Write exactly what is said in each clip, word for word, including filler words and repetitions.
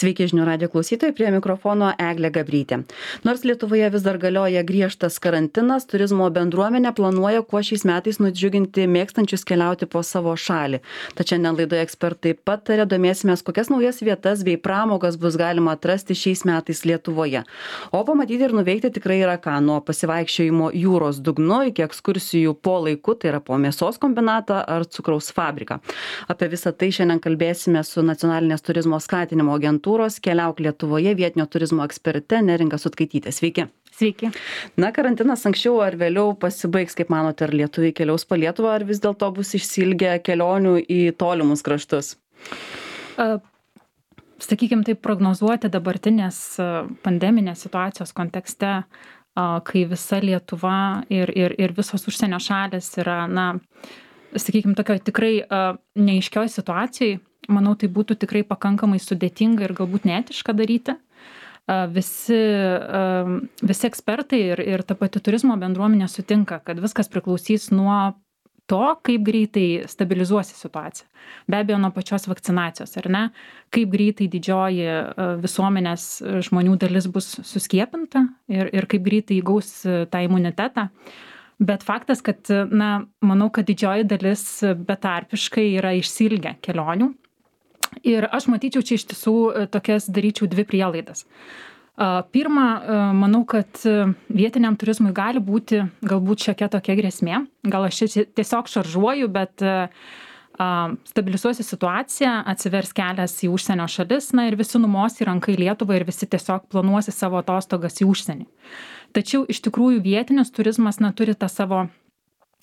Sveiki žinių radijo klausytojai, prie mikrofono Eglė Gabrytė. Nors Lietuvoje vis dar galioja griežtas karantinas, turizmo bendruomenė planuoja kuo šiais metais nudžiuginti mėgstančius keliauti po savo šalį. Tačiau šiandien laidoje ekspertai patarė, domėsimės, kokias naujas vietas bei pramogas bus galima atrasti šiais metais Lietuvoje. O pamatyti ir nuveikti tikrai yra ką, nuo pasivaikščiojimo jūros dugnu iki ekskursijų po laiku, tai yra po mėsos kombinatą ar cukraus fabriką. Apie visą tai šiandien kalbėsime su nacionalinės turizmo skatinimo agentūros Keliauk Lietuvoje vietinio turizmo eksperte Neringa Sutkaitytė. Sveiki. Sveiki. Na, karantinas anksčiau ar vėliau pasibaigs, kaip manote, ar lietuviai keliaus po Lietuvą, ar vis dėlto bus išsiilgę kelionių į tolimus kraštus? Uh, Sakykime, taip prognozuoti dabartinės pandeminės situacijos kontekste, uh, kai visa Lietuva ir, ir, ir visos užsienio šalis yra, na, sakykime, tokio tikrai uh, neaiškioj situacijai, manau, tai būtų tikrai pakankamai sudėtinga ir galbūt neetiška daryti. Uh, visi, uh, visi ekspertai ir, ir ta pati turizmo bendruomenė sutinka, kad viskas priklausys nuo to, kaip greitai stabilizuosi situaciją. Be abejo, nuo pačios vakcinacijos, ar ne? Kaip greitai didžioji uh, visuomenės žmonių dalis bus suskiepinta ir, ir kaip greitai įgaus tą imunitetą. Bet faktas, kad, na, manau, kad didžioji dalis betarpiškai yra išsiilgę kelionių. Ir aš matyčiau čia iš tiesų tokias daryčiau dvi prielaidas. Pirma, manau, kad vietiniam turizmui gali būti galbūt šiokia tokia grėsmė. Gal aš čia tiesiog šaržuoju, bet stabilizuosi situaciją, atsivers kelias į užsienio šalis, na ir visi numos į ranką į Lietuvą ir visi tiesiog planuosi savo atostogas į užsienį. Tačiau iš tikrųjų vietinis turizmas na, turi tą savo,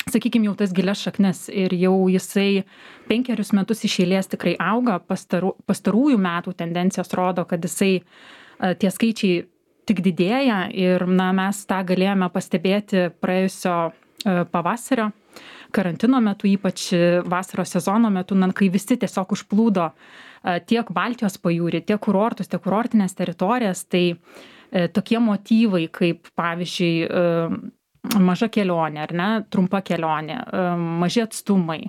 sakykime, jau tas gilias šaknis ir jau jisai penkerius metus iš eilės tikrai auga. Pastaru, pastarųjų metų tendencijos rodo, kad jisai tie skaičiai tik didėja ir na, mes tą galėjome pastebėti praėjusio pavasario karantino metu, ypač vasaros sezono metu, na, kai visi tiesiog užplūdo tiek Baltijos pajūrį, tiek kurortus, tiek kurortinės teritorijas, tai tokie motyvai, kaip pavyzdžiui maža kelionė, ar ne, trumpa kelionė, maži atstumai,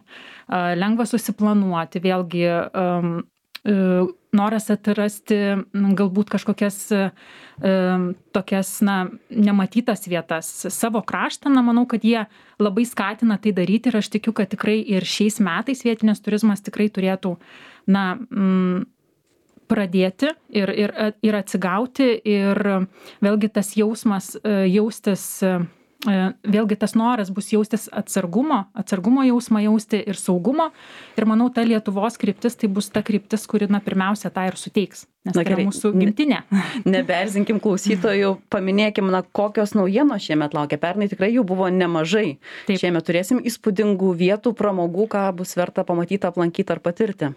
lengva susiplanuoti, vėlgi noras atrasti galbūt kažkokias tokias, na, nematytas vietas savo kraštą, na, manau, kad jie labai skatina tai daryti ir aš tikiu, kad tikrai ir šiais metais vietinės turizmas tikrai turėtų, na, mm, pradėti ir, ir, ir atsigauti ir vėlgi tas jausmas, jaustis, vėlgi tas noras bus jaustis atsargumo, atsargumo jausmą jausti ir saugumo ir manau, ta Lietuvos kryptis tai bus ta kryptis, kuri na, pirmiausia tą ir suteiks, nes na, tai yra mūsų gimtinė. Neberzinkim klausytojų, paminėkim, na, kokios naujienos šiemet laukia. Pernai tikrai jų buvo nemažai. Taip. Šiemet turėsim įspūdingų vietų, pramogų, ką bus verta pamatyti, aplankyti ar patirti.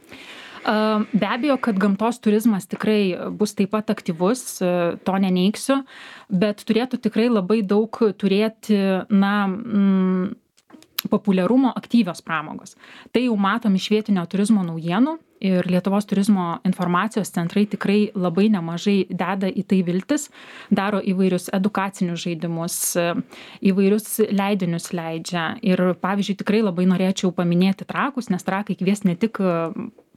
Be abejo, kad gamtos turizmas tikrai bus taip pat aktyvus, to neneigsiu, bet turėtų tikrai labai daug turėti, na, mm, populiarumo aktyvios pramogos. Tai jau matom iš vietinio turizmo naujienų ir Lietuvos turizmo informacijos centrai tikrai labai nemažai deda į tai viltis, daro įvairius edukacinius žaidimus, įvairius leidinius leidžia. Ir pavyzdžiui, tikrai labai norėčiau paminėti Trakus, nes Trakai kvies ne tik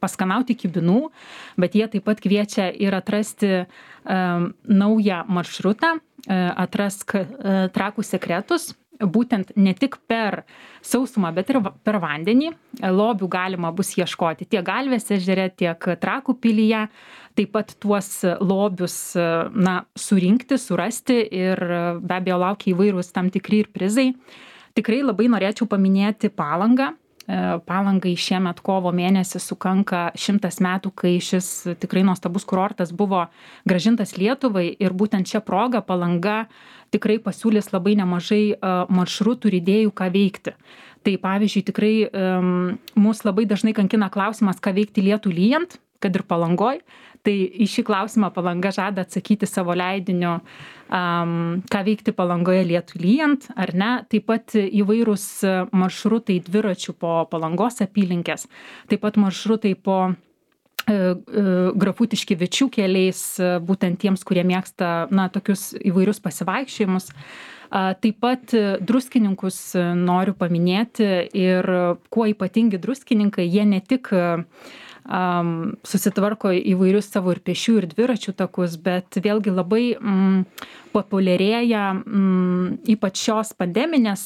paskanauti kibinų, bet jie taip pat kviečia ir atrasti um, naują maršrutą, uh, atrask uh, Trakų sekretus, būtent ne tik per sausumą, bet ir per vandenį. Lobių galima bus ieškoti tiek Galvės ežere, tiek Trakų pilyje. Taip pat tuos lobius, na, surinkti, surasti ir be abejo laukia įvairūs tam tikri ir prizai. Tikrai labai norėčiau paminėti Palangą. Palangai šiemet kovo mėnesį sukanka šimtas metų, kai šis tikrai nuostabus kurortas buvo grąžintas Lietuvai ir būtent šią progą Palanga tikrai pasiūlys labai nemažai maršrutų ir idėjų, ką veikti. Tai pavyzdžiui, tikrai um, mus labai dažnai kankina klausimas, ką veikti lietų lyjant, kad ir Palangoj. Tai į šį klausimą Palanga žada atsakyti savo leidiniu, um, ką veikti Palangoje lietų lyjant, ar ne. Taip pat įvairūs maršrutai dviračių po Palangos apylinkės, taip pat maršrutai po e, e, Grafų Tiškevičių keliais, būtent tiems, kurie mėgsta, na, tokius įvairius pasivaikščiojimus. Taip pat druskininkus noriu paminėti ir kuo ypatingi druskininkai, jie ne tik um, susitvarko įvairius savo ir pešių, ir dviračių takus, bet vėlgi labai mm, populiarėja mm, ypač šios pandeminės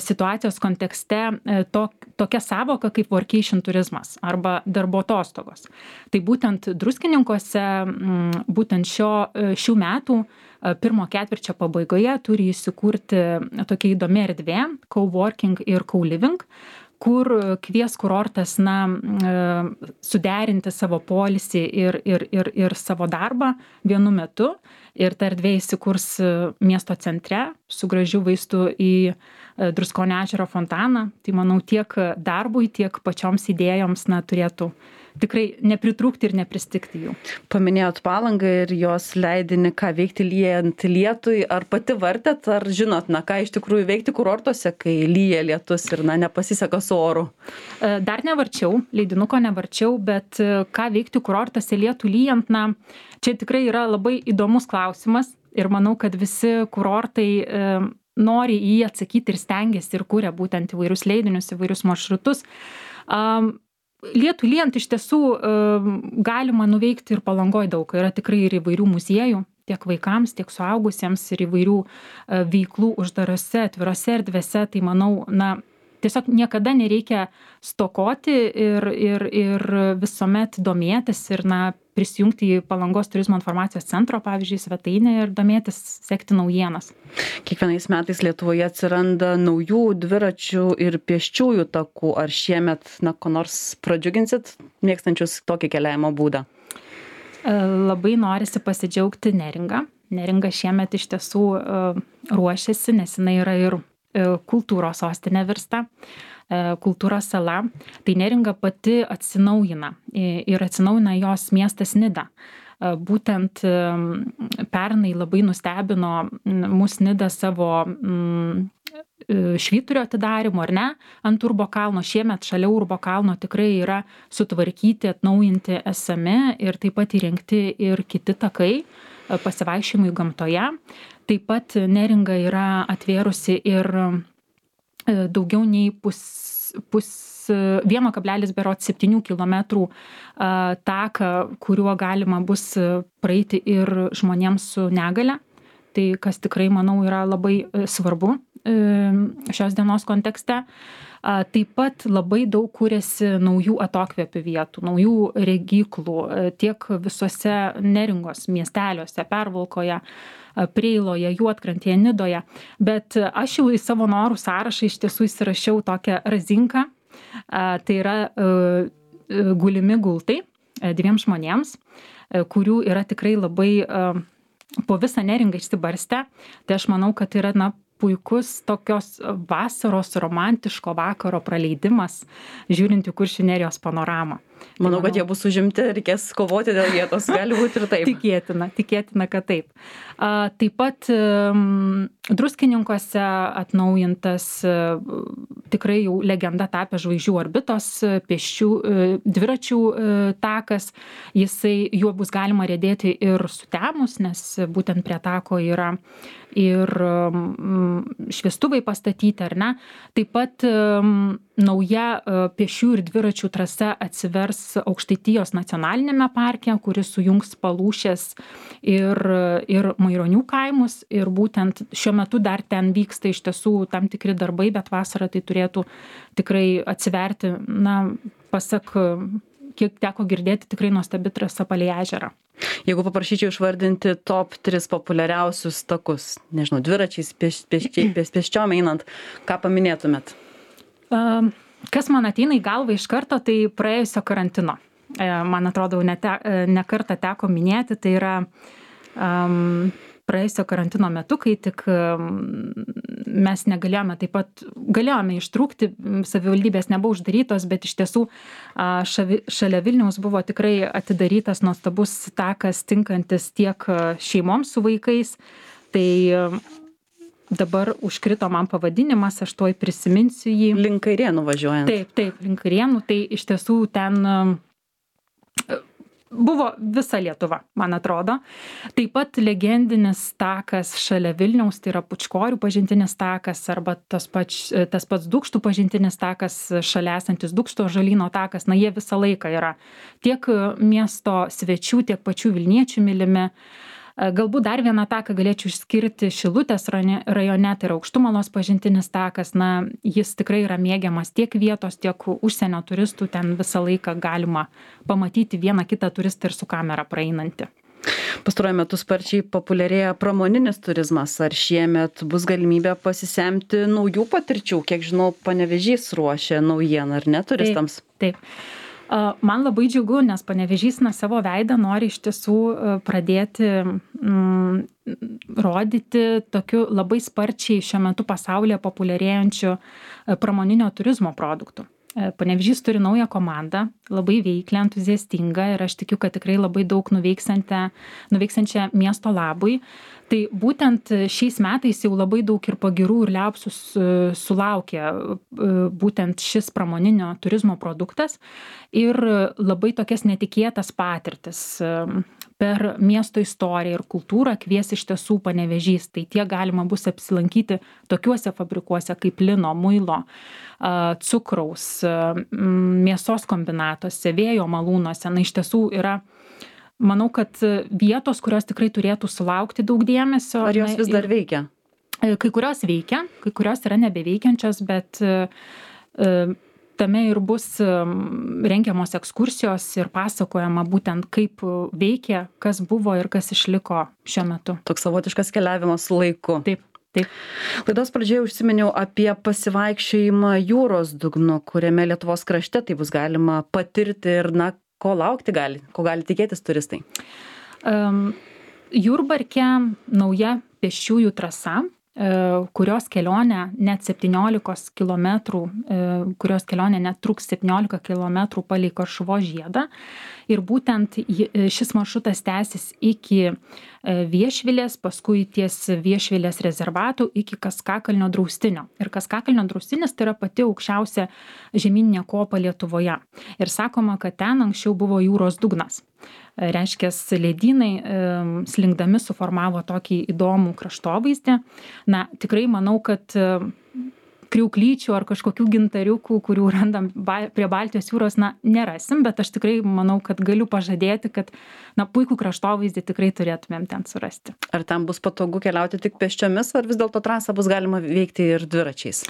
situacijos kontekste to, tokia savoka kaip workation turizmas arba darbo atostogos. Tai būtent Druskininkuose mm, būtent šio, šių metų pirmo ketvirčio pabaigoje turi įsikurti tokia įdomi erdvė coworking ir co-living, kur kvies kurortas na, suderinti savo poilsį ir, ir, ir, ir savo darbą vienu metu. Ir ta erdvė įsikurs miesto centre su gražiu vaizdu į Druskonio ežero fontaną. Tai manau tiek darbui, tiek pačioms idėjoms na, turėtų tikrai nepritrūkti ir nepristigti jų. Paminėjot Palangą ir jos leidinį, ką veikti lyjant lietui. Ar pati vartėt, ar žinot, na, ką iš tikrųjų veikti kurortuose, kai lyja lietus ir na, nepasiseka su oru? Dar nevarčiau, leidinuko nevarčiau, bet ką veikti kurortuose lietų lyjant, na, čia tikrai yra labai įdomus klausimas ir manau, kad visi kurortai e, nori į jį atsakyti ir stengiasi ir kuria būtent įvairius leidinius, įvairius maršrutus. Um, Lietų lyjant iš tiesų galima nuveikti ir Palangoj daug. Yra tikrai ir įvairių muziejų, tiek vaikams, tiek suaugusiems, ir įvairių veiklų uždarose, atvirose erdvėse. Tai manau, na, tiesiog niekada nereikia stokoti ir, ir, ir visuomet domėtis ir na, prisijungti į Palangos turizmo informacijos centro, pavyzdžiui, svetainę ir domėtis, sekti naujienas. Kiekvienais metais Lietuvoje atsiranda naujų dviračių ir pėsčiųjų takų. Ar šiemet, na, ko nors pradžiuginsit mėgstančius tokį keliavimo būdą? Labai norisi pasidžiaugti Neringa. Neringa šiemet iš tiesų ruošiasi, nes jinai yra ir kultūros sostinė virsta, kultūros sala. Tai Neringa pati atsinaujina ir atsinaujina jos miestas Nida. Būtent pernai labai nustebino mus Nida savo švyturio atidarymu, ar ne, ant Urbo kalno. Šiemet šalia Urbo kalno tikrai yra sutvarkyti, atnaujinti esami ir taip pat įrengti ir kiti takai pasivaikščiojimui gamtoje. Taip pat Neringa yra atvėrusi ir daugiau nei pus, pus vieno kablelis septynių kilometrų taką, kuriuo galima bus praeiti ir žmonėms su negale. Tai kas tikrai, manau, yra labai svarbu šios dienos kontekste. Taip pat labai daug kūrėsi naujų atokvėpių vietų, naujų regyklų tiek visose Neringos miesteliuose, Pervalkoje, Preiloje, Juodkrantėje, Nidoje. Bet aš jau į savo norų sąrašą iš tiesų įsirašiau tokią razinką. Tai yra gulimi gultai dviem žmonėms, kurių yra tikrai labai po visą Neringą išsibarstę. Tai aš manau, kad yra na, puikus tokios vasaros romantiško vakaro praleidimas, žiūrint į Kuršių nerijos panoramą. Manau, kad jie bus užimti, reikės kovoti dėl vietos, gali būti ir taip. Tikėtina, tikėtina, kad taip. A, taip pat um, Druskininkuose atnaujintas uh, tikrai jau legenda tapęs Žvaigždžių orbitos pėsčių, uh, dviračių uh, takas. Jisai, juo bus galima riedėti ir sutemus, nes būtent prie tako yra ir um, šviestuvai pastatyti, ar ne. Taip pat um, nauja uh, pėsčių ir dviračių trasa atsivers Aukštaitijos nacionalinėme parke, kuris sujungs Palūšės ir, ir Maironių kaimus. Ir būtent šiuo metu dar ten vyksta iš tiesų tam tikri darbai, bet vasarą tai turėtų tikrai atsiverti, na, pasak, kiek teko girdėti, tikrai nuostabi trasa palei ežerą. Jeigu paprašyčiau išvardinti top tris populiariausius takus, nežinau, dviračiais, pėš, pėščiom pėš, pėš, einant, ką paminėtumėt? Um, Kas man ateina į galvą iš karto, tai praėjusio karantino. Man atrodo, ne, te, ne kartą teko minėti, tai yra um, praėjusio karantino metu, kai tik um, mes negalėjome taip pat, galėjome ištrūkti, savivaldybės nebuvo uždarytos, bet iš tiesų uh, šavi, šalia Vilniaus buvo tikrai atidarytas nuostabus takas tinkantis tiek šeimoms su vaikais. Tai um, dabar užkrito man pavadinimas, aš tuoj prisiminsiu jį. Link Kairėnų važiuojant. Taip, taip, link Kairėnų. Tai iš tiesų ten buvo visa Lietuva, man atrodo. Taip pat legendinis takas šalia Vilniaus, tai yra Pučkorių pažintinis takas arba tas, pač, tas pats Dūkštų pažintinis takas, šalia esantis Dūkšto ąžuolyno takas, na jie visą laiką yra tiek miesto svečių, tiek pačių Vilniečių mylimi. Galbūt dar vieną taką galėčiau išskirti Šilutės rajone, tai yra Aukštumalos pažintinis takas, na jis tikrai yra mėgiamas tiek vietos, tiek užsienio turistų, ten visą laiką galima pamatyti vieną kitą turistą ir su kamera praeinantį. Pastaruoju metu sparčiai populiarėja pramoninis turizmas. Ar šiemet bus galimybė pasisemti naujų patirčių? Kiek žinau, Panevėžys ruošia naujieną, ar ne, turistams? Taip, taip. Man labai džiugu, nes Panevėžys na savo veidą nori iš tiesų pradėti mm, rodyti tokiu labai sparčiai šiuo metu pasaulyje populiarėjančiu pramoninio turizmo produktų. Panevėžys turi naują komandą, labai veiklę, entuziastingą ir aš tikiu, kad tikrai labai daug nuveiksiančią miesto labui. Tai būtent šiais metais jau labai daug ir pagirų ir liaupsų sulaukė būtent šis pramoninio turizmo produktas ir labai tokias netikėtas patirtis per miesto istoriją ir kultūrą kvies iš tiesų Panevėžys. Tai tiek galima bus apsilankyti tokiuose fabrikuose kaip lino, muilo, cukraus, mėsos kombinatuose, vėjo malūnuose. Na, iš tiesų yra, manau, kad vietos, kurios tikrai turėtų sulaukti daug dėmesio. Ar jos vis dar veikia? Kai kurios veikia, kai kurios yra nebeveikiančios, bet tame ir bus rengiamos ekskursijos ir pasakojama būtent kaip veikia, kas buvo ir kas išliko šiuo metu. Toks savotiškas keliavimas su laiku. Taip. Taip. Laidos pradžioje užsiminiau apie pasivaikščiojimą jūros dugnu, kuriame Lietuvos krašte tai bus galima patirti ir, na, ko laukti gali, ko gali tikėtis turistai. Um, Jurbarke nauja pėsčiųjų trasa, kurios kelionė net septyniolikos kilometrų, kurios kelionė net truks septyniolika kilometrų palei Karšuvos žiedą. Ir būtent šis maršrutas tęsis iki Viešvilės, paskui ties Viešvilės rezervatų iki Kaskakalnio draustinio. Ir Kaskakalnio draustinis tai yra pati aukščiausia žemyninė kopa Lietuvoje. Ir sakoma, kad ten anksčiau buvo jūros dugnas. Reiškia, ledynai slinkdami suformavo tokį įdomų kraštovaizdį. Na, tikrai manau, kad kriauklyčių ar kažkokių gintariukų, kurių randam prie Baltijos jūros, na, nerasim, bet aš tikrai manau, kad galiu pažadėti, kad, na, puikų kraštovaizdį tikrai turėtumėm ten surasti. Ar tam bus patogu keliauti tik pėsčiomis, ar vis dėlto trasą bus galima veikti ir dviračiais?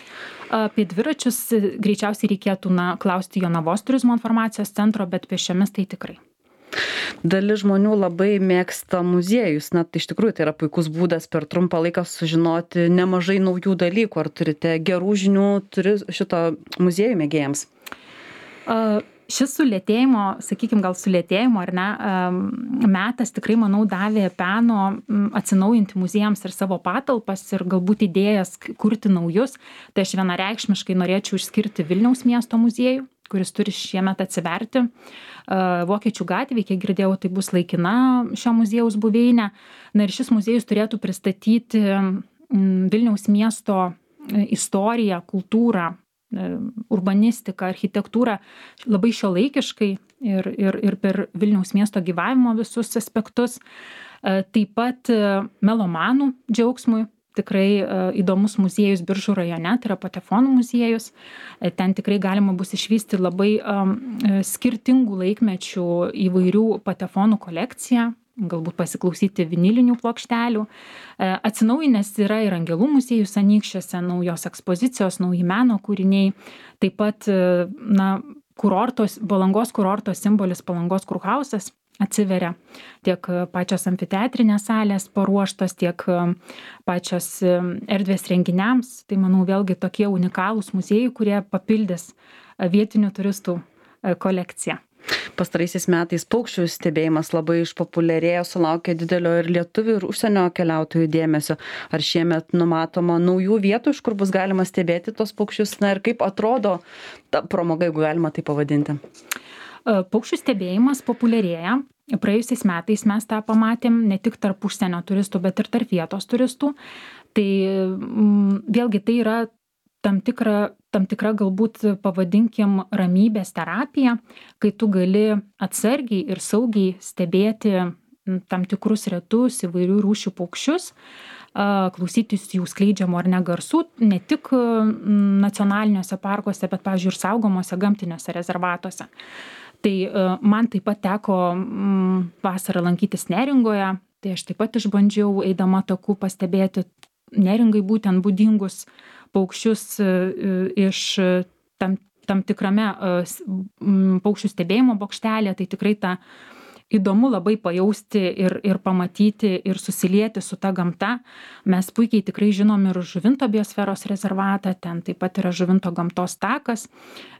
Apie dviračius greičiausiai reikėtų, na, klausti Jonavos turizmo informacijos centro, bet pėsčiomis tai tikrai. Dalis žmonių labai mėgsta muziejus, na, tai iš tikrųjų tai yra puikus būdas per trumpą laiką sužinoti nemažai naujų dalykų. Ar turite gerų žinių turi šito muziejų mėgėjams? Uh, šis sulėtėjimo, sakykime, gal sulėtėjimo ar ne, um, metas tikrai, manau, davė peno um, atsinaujinti muziejams ir savo patalpas ir galbūt idėjas kurti naujus. Tai aš vienareikšmiškai norėčiau išskirti Vilniaus miesto muziejų, kuris turi šiemet atsiverti. Vokiečių gatvėje, kiek girdėjau, tai bus laikina šio muziejaus buveinė. Na ir šis muziejus turėtų pristatyti Vilniaus miesto istoriją, kultūrą, urbanistiką, architektūrą labai šiuolaikiškai ir, ir, ir per Vilniaus miesto gyvavimo visus aspektus. Taip pat melomanų džiaugsmui. Tikrai įdomus muziejus Biržų rajone, tai yra Patefonų muziejus. Ten tikrai galima bus išvysti labai um, skirtingų laikmečių įvairių patefonų kolekciją, galbūt pasiklausyti vinilinių plokštelių. Atsinaujinęs yra ir Angelų muziejus Anykščiuose, naujos ekspozicijos, nauji meno kūriniai. Taip pat, na, kurortos, Palangos kurorto simbolis Palangos kurhausas atsiveria, tiek pačios amfiteatrinės salės paruoštos, tiek pačios erdvės renginiams. Tai, manau, vėlgi tokie unikalūs muziejai, kurie papildys vietinių turistų kolekciją. Pastaraisiais metais paukščių stebėjimas labai išpopuliarėjo, sulaukė didelio ir lietuvių ir užsienio keliautojų dėmesio. Ar šiemet numatoma naujų vietų, iš kur bus galima stebėti tos paukščius? Na ir kaip atrodo ta pramoga, jeigu galima tai pavadinti? Paukščių stebėjimas populiarėja. Praėjusiais metais mes tą pamatėm ne tik tarp užsienio turistų, bet ir tarp vietos turistų. Tai vėlgi tai yra tam tikra, tam tikra galbūt pavadinkim ramybės terapija, kai tu gali atsargiai ir saugiai stebėti tam tikrus retus įvairių rūšių paukščius, klausytis jų skleidžiamų ar ne garsų, ne tik nacionaliniuose parkuose, bet, pavyzdžiui, ir saugomose gamtiniuose rezervatuose. Tai man taip pat teko vasarą lankytis Neringoje, tai aš taip pat išbandžiau, eidama taku, pastebėti Neringai būtent būdingus paukščius iš tam, tam tikrame paukščių stebėjimo bokštelė, tai tikrai ta įdomu labai pajausti ir, ir pamatyti ir susilieti su ta gamta. Mes puikiai tikrai žinom ir Žuvinto biosferos rezervatą, ten taip pat yra Žuvinto gamtos takas,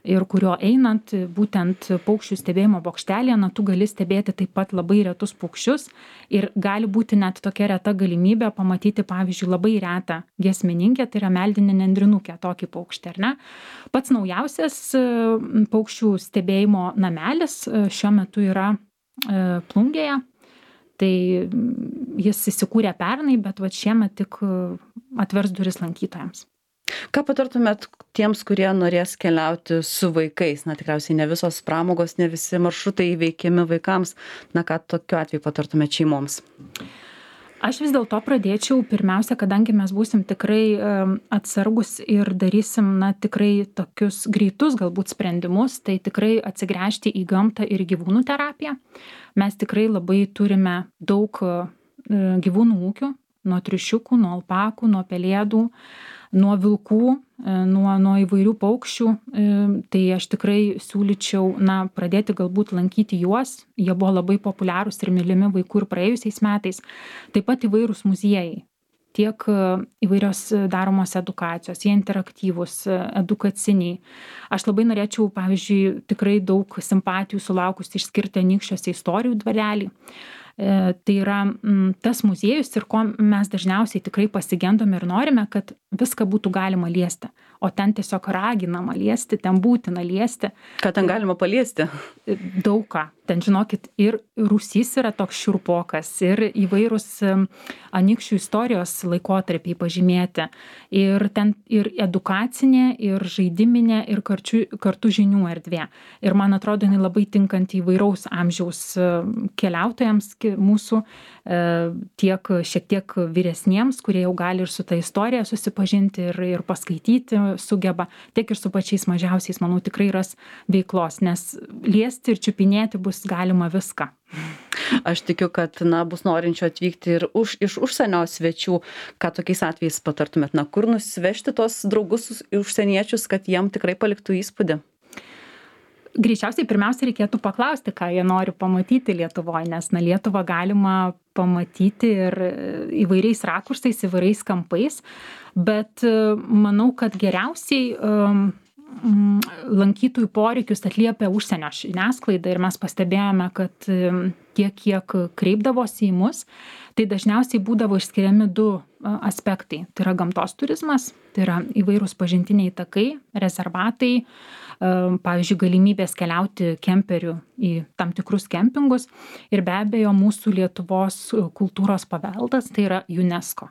ir kurio einant būtent paukščių stebėjimo bokštelėje, na, tu gali stebėti taip pat labai retus paukščius ir gali būti net tokia reta galimybė pamatyti, pavyzdžiui, labai retą giesmininkę, tai yra meldinė nendrinukė, tokį paukštį, ar ne? Pats naujausias paukščių stebėjimo namelis šiuo metu yra Plungėje, tai jis įsikūrė pernai, bet va šiemet tik atvers duris lankytojams. Ką patartumėt tiems, kurie norės keliauti su vaikais? Na, tikriausiai ne visos pramogos, ne visi maršrutai įveikiami vaikams. Na, ką tokiu atveju patartumėt šeimoms? Aš vis dėlto pradėčiau pirmiausia, kadangi mes būsim tikrai atsargus ir darysim, na, tikrai tokius greitus galbūt sprendimus, tai tikrai atsigręžti į gamtą ir gyvūnų terapiją. Mes tikrai labai turime daug gyvūnų ūkių, nuo triušiukų, nuo alpakų, nuo pelėdų, nuo vilkų, nuo, nuo įvairių paukščių. Tai aš tikrai siūlyčiau, na, pradėti galbūt lankyti juos. Jie buvo labai populiarūs ir mylimi vaikų ir praėjusiais metais. Taip pat įvairūs muziejai, tiek įvairios daromos edukacijos, jie interaktyvūs, edukaciniai. Aš labai norėčiau, pavyzdžiui, tikrai daug simpatijų sulaukusi išskirti Anykščiuose istorijų dvarelį. Tai yra tas muziejus ir ko mes dažniausiai tikrai pasigendome ir norime, kad viską būtų galima liesti, o ten tiesiog raginama liesti, ten būtina liesti. Ką ten galima paliesti? Daug ką. Ten, žinokit, ir rūsys yra toks šiurpokas, ir įvairūs Anykščių istorijos laikotarpiai pažymėti, ir ten ir edukacinė, ir žaidiminė, ir kartu, kartu žinių erdvė. Ir man atrodo, jinai labai tinkanti įvairaus amžiaus keliautojams mūsų, tiek šiek tiek vyresniems, kurie jau gali ir su ta istorija susipažinti ir, ir paskaityti sugeba, tiek ir su pačiais mažiausiais, manau, tikrai ras veiklos, nes liesti ir čiupinėti bus galima viską. Aš tikiu, kad, na, bus norinčių atvykti ir už, iš užsienio svečių. Ką tokiais atvejais patartumėt? Na, kur nusivežti tos draugus užsieniečius, kad jiem tikrai paliktų įspūdį? Greičiausiai pirmiausia reikėtų paklausti, ką jie nori pamatyti Lietuvoje, nes, na, Lietuvą galima pamatyti ir įvairiais rakursais, įvairiais kampais, bet manau, kad geriausiai um, lankytojų poreikius atliepia užsienio žiniasklaida ir mes pastebėjome, kad tiek, kiek kreipdavosi į mus, tai dažniausiai būdavo išskiriami du aspektai. Tai yra gamtos turizmas, tai yra įvairūs pažintiniai takai, rezervatai, pavyzdžiui, galimybės keliauti kemperiu į tam tikrus kempingus ir be abejo mūsų Lietuvos kultūros paveldas, tai yra UNESCO.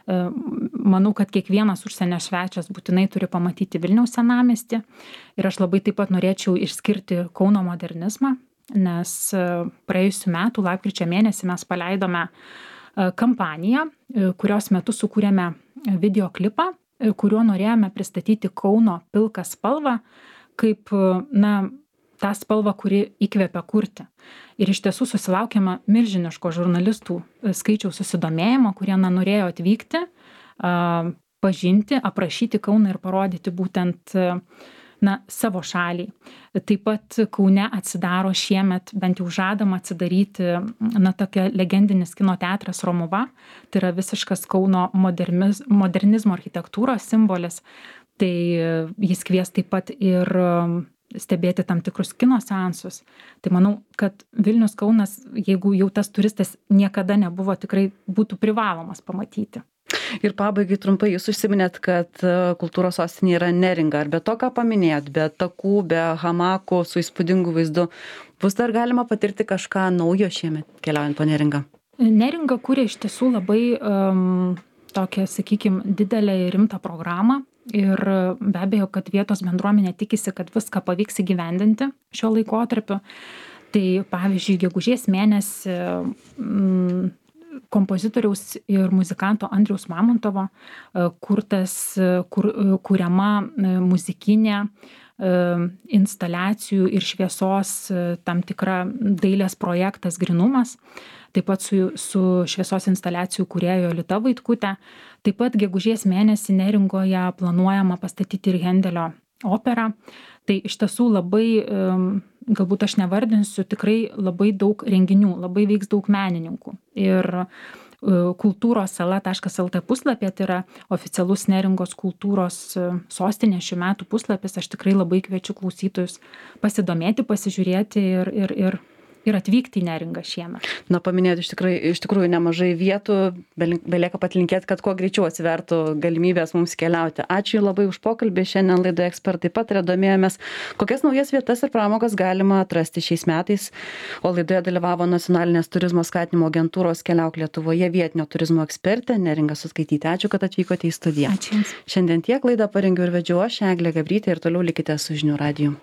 Manau, kad kiekvienas užsienio svečias būtinai turi pamatyti Vilniaus senamiestį ir aš labai taip pat norėčiau išskirti Kauno modernizmą, nes praėjusiu metu lapkričio mėnesį mes paleidome kampaniją, kurios metu sukūrėme videoklipą, kuriuo norėjome pristatyti Kauno pilką spalvą kaip, na, tą spalvą, kuri įkvepia kurti. Ir iš tiesų susilaukėme milžiniško žurnalistų skaičiaus susidomėjimo, kurie na, norėjo atvykti, pažinti, aprašyti Kauną ir parodyti būtent na, savo šaliai. Taip pat Kaune atsidaro šiemet, bent jau žadama atsidaryti, na, tokia legendinis kino teatras Romuva, tai yra visiškas Kauno moderniz, modernizmo architektūros simbolis. Tai jis kvies taip pat ir stebėti tam tikrus kino seansus. Tai manau, kad Vilnius Kaunas, jeigu jau tas turistas niekada nebuvo, tikrai būtų privalomas pamatyti. Ir pabaigai trumpai, jūs užsiminėt, kad kultūros sostinė yra Neringa. Ar be to, ką paminėjot, be takų, be hamakų, su įspūdingu vaizdu, bus dar galima patirti kažką naujo šiemet keliaujant po Neringą? Neringa kūrė iš tiesų labai um, tokią, sakykime, didelę ir rimtą programą. ir be abejo, kad vietos bendruomenė tikisi, kad viską pavyks įgyvendinti šio laikotarpiu. Tai pavyzdžiui, gegužės mėnesį mm, kompozitoriaus ir muzikanto Andriaus Mamontovo kurtas, kur, kuriama muzikinė instaliacijų ir šviesos tam tikra dailės projektas Grynumas, taip pat su, su šviesos instaliacijų kūrėjo Jolita Vaitkutė. Taip pat gegužės mėnesį Neringoje planuojama pastatyti ir Hendelio operą. Tai iš tiesų labai, galbūt aš nevardinsiu, tikrai labai daug renginių, labai veiks daug menininkų. Ir kultūros sala taškas el tė puslapyje, tai yra oficialus Neringos kultūros sostinė šių metų puslapis. Aš tikrai labai kviečiu klausytojus pasidomėti, pasižiūrėti ir, ir, ir, ir atvykti į Neringą šiemet. Na, paminėti iš tikrųjų, iš tikrųjų nemažai vietų, belieka patlinkėti, kad kuo greičiau atsivertų galimybės mums keliauti. Ačiū labai už pokalbį. Šiandien laidoje Ekspertai pataria domėjomės, kokias naujas vietas ir pramogas galima atrasti šiais metais. O laidoje dalyvavo Nacionalinės turizmo skatinimo agentūros Keliauk Lietuvoje vietinio turizmo ekspertė Neringa Suskaitytė. Ačiū, kad atvykote į studiją. Ačiū Jums. Šiandien tiek laidą parengiau ir vedžiau aš, Eglė Gabrytė, ir toliau likite su Žinių radiju.